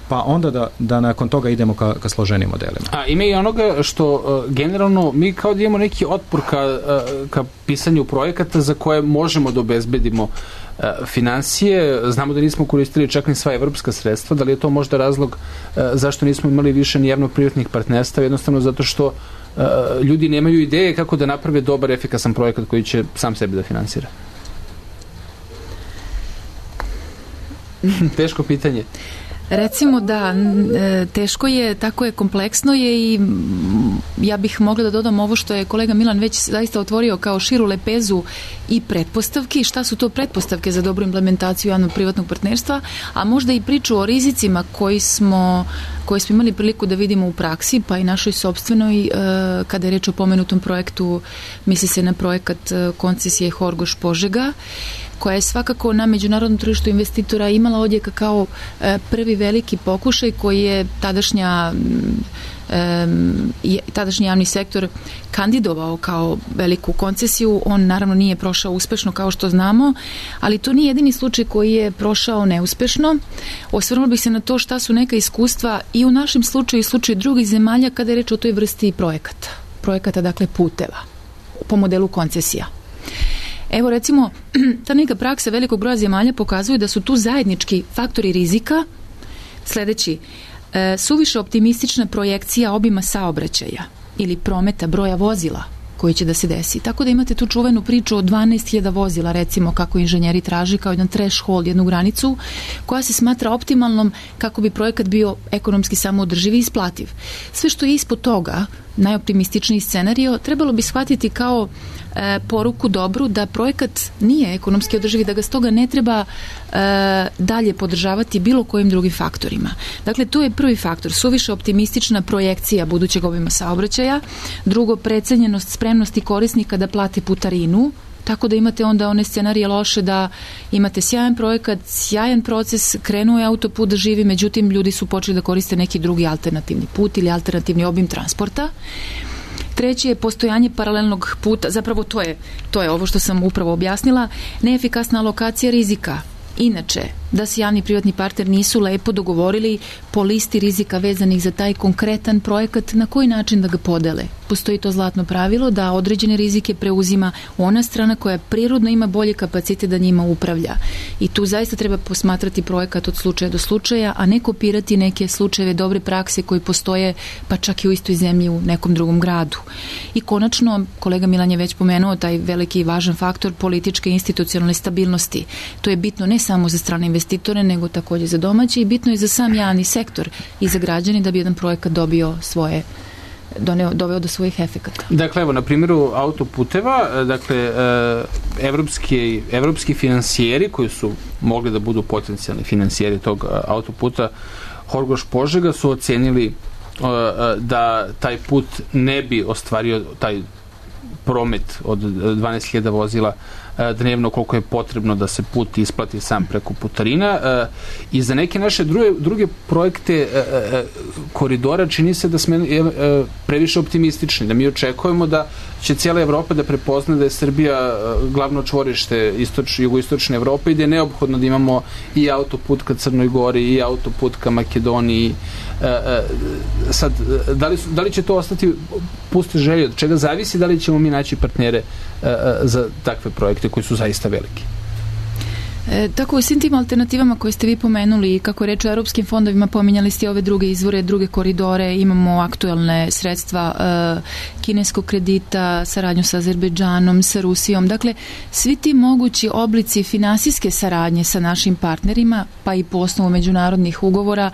pa onda da nakon toga idemo ka složenim modelima. A ima i onoga što generalno mi kao da imamo neki otpor ka pisanju projekata za koje možemo da obezbedimo finansije. Znamo da nismo koristili čak ni sva evropska sredstva. Da li je to možda razlog zašto nismo imali više ni javno-privatnih partnerstva? Jednostavno zato što ljudi nemaju ideje kako da naprave dobar, efikasan projekat koji će sam sebe da finansira. Teško pitanje. Recimo da, teško je, tako je, kompleksno je i ja bih mogla da dodam ovo što je kolega Milan već zaista otvorio kao širu lepezu i pretpostavki, šta su to pretpostavke za dobru implementaciju javno-privatnog partnerstva, a možda i priču o rizicima koji smo imali priliku da vidimo u praksi, pa i našoj sopstvenoj, kada je reč o pomenutom projektu, misli se na projekat koncesije Horgoš-Požega, koja je svakako na međunarodnom tržištu investitora imala odjeka kao prvi veliki pokušaj koji je tadašnji javni sektor kandidovao kao veliku koncesiju. On naravno nije prošao uspešno kao što znamo, ali to nije jedini slučaj koji je prošao neuspešno. Osvrnula bih se na to šta su neka iskustva i u našem slučaju i slučaju drugih zemalja kada je reč o toj vrsti projekata, dakle puteva po modelu koncesija. Evo recimo, ta neka praksa velikog broja zemalja pokazuje da su tu zajednički faktori rizika sledeći: suviše optimistična projekcija obima saobraćaja ili prometa broja vozila koji će da se desi. Tako da imate tu čuvenu priču o 12.000 vozila, recimo, kako inženjeri traži kao jedan threshold, jednu granicu koja se smatra optimalnom kako bi projekat bio ekonomski samoodrživ i isplativ. Sve što je ispod toga, najoptimističniji scenario, trebalo bi shvatiti kao poruku dobru da projekat nije ekonomski održiv i da ga stoga ne treba dalje podržavati bilo kojim drugim faktorima. Dakle, to je prvi faktor, suviše optimistična projekcija budućeg obima saobraćaja. Drugo, precenjenost spremnosti korisnika da plate putarinu, tako da imate onda one scenarije loše da imate sjajan projekat, sjajan proces, krenuo je autoput da živi, međutim ljudi su počeli da koriste neki drugi alternativni put ili alternativni obim transporta. Treće je postojanje paralelnog puta, zapravo to je ovo što sam upravo objasnila, neefikasna alokacija rizika. Inače, da se javni i privatni partner nisu lepo dogovorili po listi rizika vezanih za taj konkretan projekat, na koji način da ga podele. Postoji to zlatno pravilo da određene rizike preuzima ona strana koja prirodno ima bolje kapacitet da njima upravlja. I tu zaista treba posmatrati projekat od slučaja do slučaja, a ne kopirati neke slučajeve dobre prakse koji postoje pa čak i u istoj zemlji u nekom drugom gradu. I konačno, kolega Milan je već pomenuo taj veliki i važan faktor političke institucionalne stabilnosti. To je bitno ne samo za strane investitore, nego također za domaće i bitno je za sam javni sektor i za građane da bi jedan projekat doveo do svojih efekata. Dakle, evo, na primjeru autoputeva, dakle, evropski finansijeri koji su mogli da budu potencijalni finansijeri tog autoputa Horgoš-Požega su ocenili da taj put ne bi ostvario taj promet od 12.000 vozila dnevno koliko je potrebno da se put isplati sam preko putarina i za neke naše druge projekte koridora čini se da smo previše optimistični, da mi očekujemo da će cijela Evropa da prepozna da je Srbija glavno čvorište jugoistočne Evrope i da je neophodno da imamo i autoput ka Crnoj Gori i autoput ka Makedoniji. Sad, da li će to ostati puste želje, od čega zavisi da li ćemo mi naći partnere za takve projekte koji su zaista veliki? Tako u svim tim alternativama koje ste vi pomenuli, kako je reč o europskim fondovima, pominjali ste ove druge izvore, druge koridore, imamo aktuelne sredstva kineskog kredita, saradnju sa Azerbejdžanom, sa Rusijom. Dakle, svi ti mogući oblici finansijske saradnje sa našim partnerima, pa i po osnovu međunarodnih ugovora,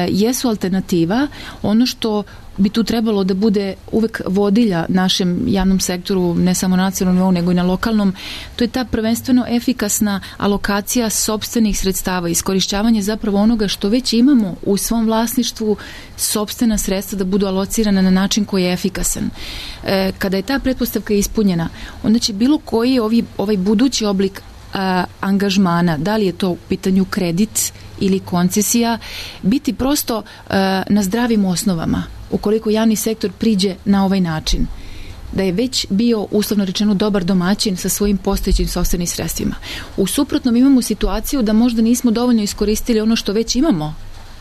jesu alternativa. Ono što bi tu trebalo da bude uvek vodilja našem javnom sektoru, ne samo na nacionalnom nivou, nego i na lokalnom, to je ta prvenstveno efikasna alokacija sopstvenih sredstava, iskorišćavanje zapravo onoga što već imamo u svom vlasništvu, sopstvena sredstva da budu alocirana na način koji je efikasan. Kada je ta pretpostavka ispunjena, onda će bilo koji ovaj budući oblik angažmana, da li je to u pitanju kredit ili koncesija, biti prosto na zdravim osnovama. Ukoliko javni sektor priđe na ovaj način, da je već bio, uslovno rečeno, dobar domaćin sa svojim postojećim sopstvenim sredstvima. U suprotnom imamo situaciju da možda nismo dovoljno iskoristili ono što već imamo,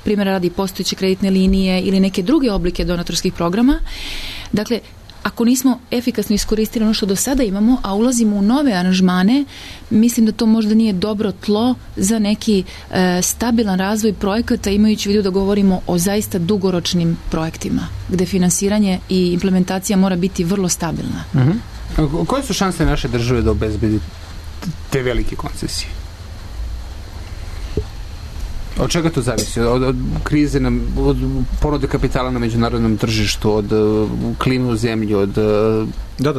primjera radi postojeće kreditne linije ili neke druge oblike donatorskih programa. Dakle, ako nismo efikasno iskoristili ono što do sada imamo, a ulazimo u nove aranžmane, mislim da to možda nije dobro tlo za neki stabilan razvoj projekata, imajući u vidu da govorimo o zaista dugoročnim projektima, gde finansiranje i implementacija mora biti vrlo stabilna. Koje su šanse naše države da obezbedi te velike koncesije? Od čega to zavisi? Od krize, od ponude kapitala na međunarodnom tržištu, od klime u zemlji, od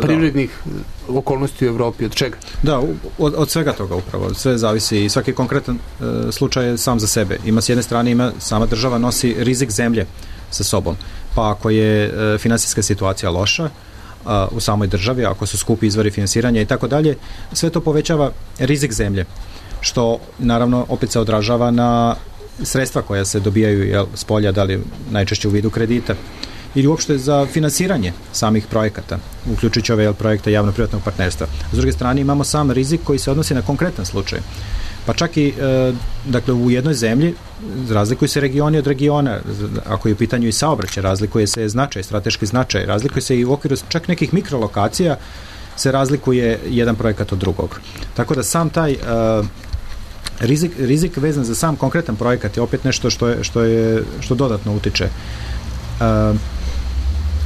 prirodnih okolnosti u Evropi, od čega? Da, od svega toga upravo. Sve zavisi i svaki konkretan slučaj je sam za sebe. Ima s jedne strane, sama država nosi rizik zemlje sa sobom. Pa ako je finansijska situacija loša u samoj državi, ako su skupi izvori finansiranja i tako dalje, sve to povećava rizik zemlje, što naravno opet se odražava na sredstva koja se dobijaju s polja, da li najčešće u vidu kredita ili uopšte za finansiranje samih projekata, uključujući ove projekte javno-privatnog partnerstva. S druge strane imamo sam rizik koji se odnosi na konkretan slučaj. Pa čak i dakle, u jednoj zemlji razlikuju se regioni od regiona, ako je u pitanju i saobraćaj, razlikuje se značaj, strateški značaj, razlikuje se i u okviru čak nekih mikrolokacija se razlikuje jedan projekat od drugog. Tako da sam taj rizik vezan za sam konkretan projekat je opet nešto što dodatno utiče.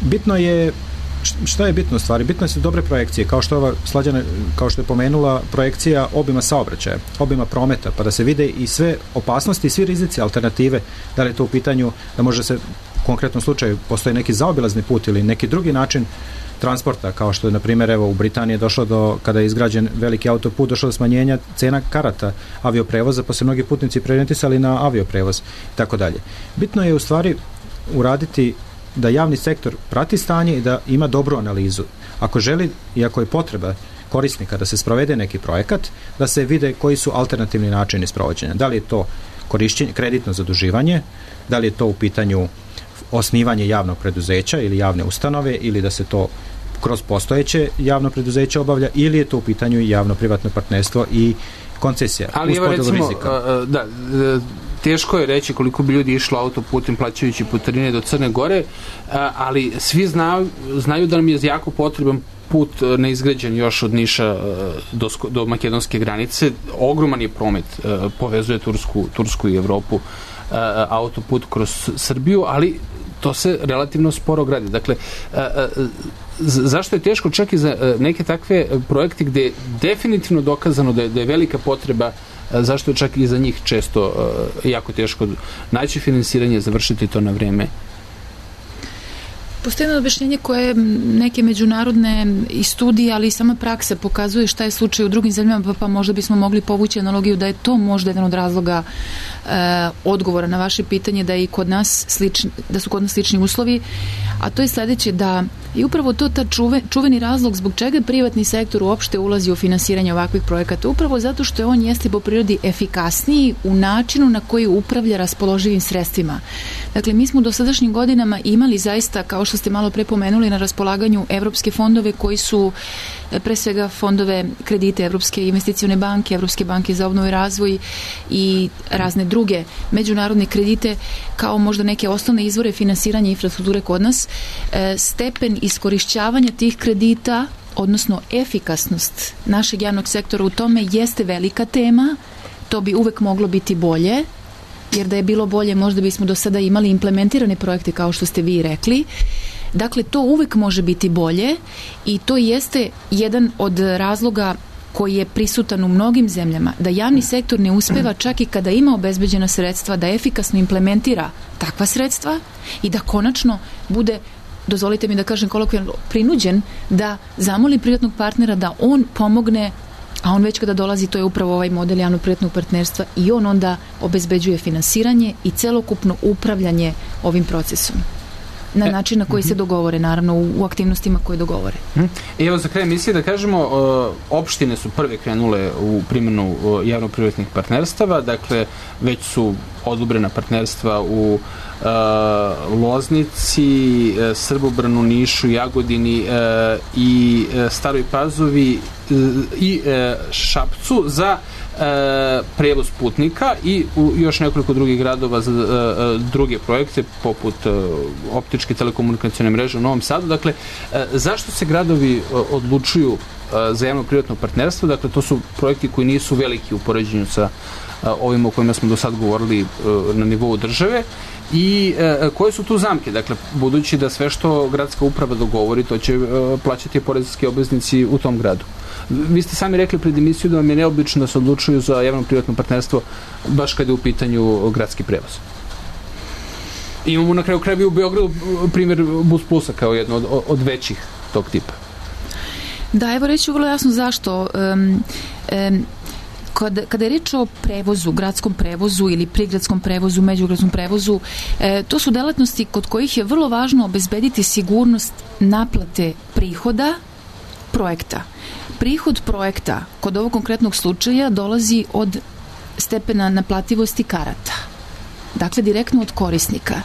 Bitno je, šta je bitno u stvari? Bitno su dobre projekcije, kao što ova Slađana, kao što je pomenula, projekcija obima saobraćaja, obima prometa, pa da se vide i sve opasnosti i svi rizici, alternative, da li je to u pitanju da može se u konkretnom slučaju postoji neki zaobilazni put ili neki drugi način transporta, kao što je, na primjer, evo, u Britaniji došlo do, kada je izgrađen veliki autoput, došlo do smanjenja cena karata avioprevoza, pa se mnogi putnici preorijentisali na avioprevoz i tako dalje. Bitno je u stvari uraditi da javni sektor prati stanje i da ima dobru analizu. Ako želi i ako je potreba korisnika da se sprovede neki projekat, da se vide koji su alternativni načini sprovođenja. Da li je to korišćenje, kreditno zaduživanje, da li je to u pitanju osnivanje javnog preduzeća ili javne ustanove, ili da se to kroz postojeće javno preduzeće obavlja, ili je to u pitanju javno-privatno partnerstvo i koncesija. Ali evo recimo, teško je reći koliko bi ljudi išlo autoputem plaćajući putarine do Crne Gore, ali svi znaju da nam je jako potreban put neizgrađen još od Niša do makedonske granice. Ogroman je promet, povezuje Tursku i Evropu, autoput kroz Srbiju, ali to se relativno sporo gradi. Dakle, zašto je teško čak i za neke takve projekte gde je definitivno dokazano da je velika potreba, zašto je čak i za njih često jako teško naći finansiranje, završiti to na vreme? Postoji jedno objašnjenje koje neke međunarodne i studije, ali i sama praksa pokazuje šta je slučaj u drugim zemljama, pa možda bismo mogli povući analogiju da je to možda jedan od razloga odgovora na vaše pitanje, da je i kod nas da su kod nas slični uslovi, a to je sledeće, da je upravo to ta čuveni razlog zbog čega privatni sektor uopšte ulazi u finansiranje ovakvih projekata, upravo zato što je on jeste po prirodi efikasniji u načinu na koji upravlja raspoloživim sredstvima. Dakle, mi smo u dosadašnjim godinama imali zaista, kao što ste malo pre pomenuli, na raspolaganju evropske fondove koji su pre svega fondove kredite Evropske investicione banke, Evropske banke za obnovu i razvoj i razne druge međunarodne kredite kao možda neke osnovne izvore finansiranja infrastrukture kod nas. Stepen iskorišćavanja tih kredita odnosno efikasnost našeg javnog sektora u tome jeste velika tema. To bi uvek moglo biti bolje, jer da je bilo bolje možda bismo do sada imali implementirane projekte kao što ste vi rekli. Dakle, to uvek može biti bolje i to jeste jedan od razloga koji je prisutan u mnogim zemljama, da javni sektor ne uspeva čak i kada ima obezbeđena sredstva da efikasno implementira takva sredstva i da konačno bude, dozvolite mi da kažem kolokvijalno, prinuđen da zamoli privatnog partnera da on pomogne, a on već kada dolazi, to je upravo ovaj model javno-privatnog partnerstva, i on onda obezbeđuje finansiranje i celokupno upravljanje ovim procesom na način na koji se dogovore, naravno u aktivnostima koje dogovore. Evo za kraj emisije da kažemo, opštine su prve krenule u primjenu javno-privatnih partnerstava, dakle već su odobrena partnerstva u Loznici, Srbobranu, Nišu, Jagodini i Staroj Pazovi i Šapcu za prevoz putnika i u još nekoliko drugih gradova za druge projekte poput optičke telekomunikacione mreže u Novom Sadu. Dakle, zašto se gradovi odlučuju za javno-privatno partnerstvo? Dakle, to su projekti koji nisu veliki u poređenju sa ovima o kojima smo do sad govorili na nivou države i koje su tu zamke? Dakle, budući da sve što gradska uprava dogovori, to će plaćati poreski obveznici u tom gradu. Vi ste sami rekli pred emisiju da vam je neobično da se odlučuju za javno-privatno partnerstvo baš kada je u pitanju gradski prevoz. Imamo na kraju krajeva u Beogradu primjer Bus Plusa kao jedno od većih tog tipa. Da, evo reći vrlo jasno zašto. Kada je reč o prevozu, gradskom prevozu ili prigradskom prevozu, međugradskom prevozu, to su delatnosti kod kojih je vrlo važno obezbediti sigurnost naplate prihoda projekta. Prihod projekta kod ovog konkretnog slučaja dolazi od stepena naplativosti karata. Dakle, direktno od korisnika.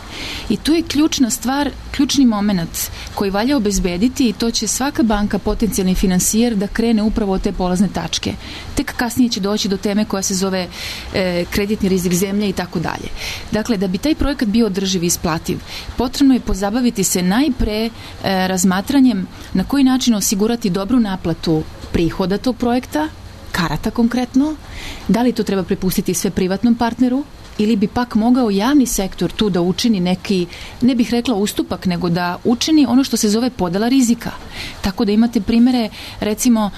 I tu je ključna stvar, ključni moment koji valja obezbediti, i to će svaka banka, potencijalni finansijer, da krene upravo od te polazne tačke. Tek kasnije će doći do teme koja se zove kreditni rizik zemlje i tako dalje. Dakle, da bi taj projekat bio održiv i isplativ, potrebno je pozabaviti se najpre razmatranjem na koji način osigurati dobru naplatu prihoda tog projekta, karata konkretno, da li to treba prepustiti sve privatnom partneru, ili bi pak mogao javni sektor tu da učini neki, ne bih rekla ustupak, nego da učini ono što se zove podela rizika. Tako da imate primere, recimo,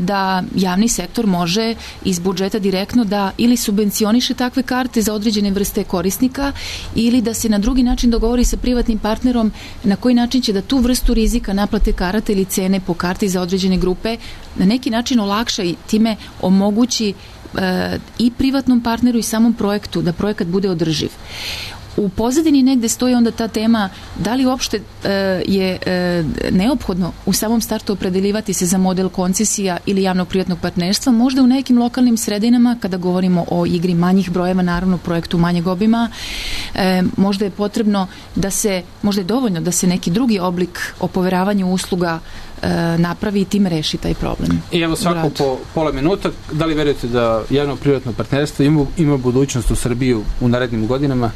da javni sektor može iz budžeta direktno da ili subvencioniše takve karte za određene vrste korisnika, ili da se na drugi način dogovori sa privatnim partnerom na koji način će da tu vrstu rizika naplate karata ili cene po karti za određene grupe na neki način olakša i time omogući i privatnom partneru i samom projektu da projekat bude održiv. U pozadini negde stoji onda ta tema da li uopšte je neophodno u samom startu opredeljivati se za model koncesija ili javno-privatnog partnerstva. Možda u nekim lokalnim sredinama, kada govorimo o igri manjih brojeva, naravno projektu manjeg obima, možda je potrebno da se, možda je dovoljno da se neki drugi oblik o poveravanju usluga napravi i tim reši taj problem. I evo svako po pola minuta, da li verujete da javno-privatno partnerstvo ima budućnost u Srbiji u narednim godinama?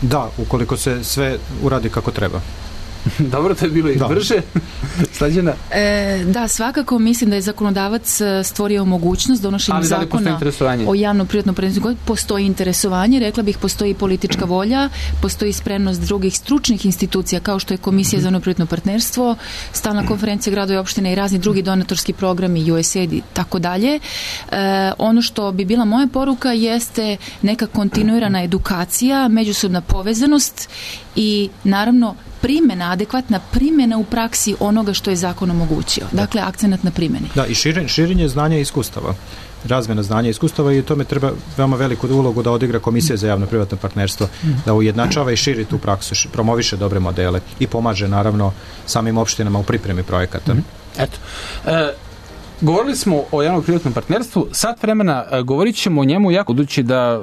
Da, ukoliko se sve uradi kako treba. Dobro, to je bilo i brže. Slađena? Da, svakako mislim da je zakonodavac stvorio mogućnost donošenjem zakona o javno-privatnom partnerstvu. Postoji interesovanje, rekla bih, postoji politička volja, postoji spremnost drugih stručnih institucija kao što je Komisija za javno-privatno partnerstvo, Stalna konferencija gradova i opštine i razni drugi donatorski programi, USAID i tako dalje. Ono što bi bila moja poruka jeste neka kontinuirana edukacija, međusobna povezanost i naravno adekvatna primjena u praksi onoga što je zakon omogućio. Dakle, akcenat na primjeni. Da, i širenje znanja i iskustava. Razmjena znanja i iskustava, i u tome treba veoma veliku ulogu da odigra Komisija za javno-privatno partnerstvo, da ujednačava i širi tu praksu, promoviše dobre modele i pomaže naravno samim opštinama u pripremi projekata. Eto. Govorili smo o javno-privatnom partnerstvu, sat vremena govorit ćemo o njemu jako, budući da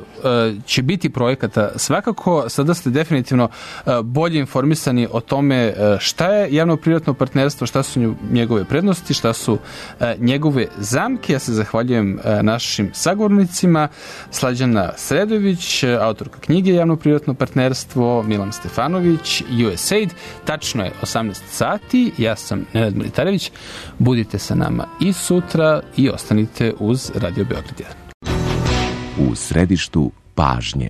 će biti projekata svakako. Sada ste definitivno bolje informisani o tome šta je javno-privatno partnerstvo, šta su njegove prednosti, šta su njegove zamke. Ja se zahvaljujem našim sagovornicima, Slađana Sredović, autorka knjige Javno-privatno partnerstvo, Milan Stefanović, USAID. Tačno je 18 sati, ja sam Nenad Militarević, budite sa nama i sutra i ostanite uz Radio Beograd 1. U središtu pažnje.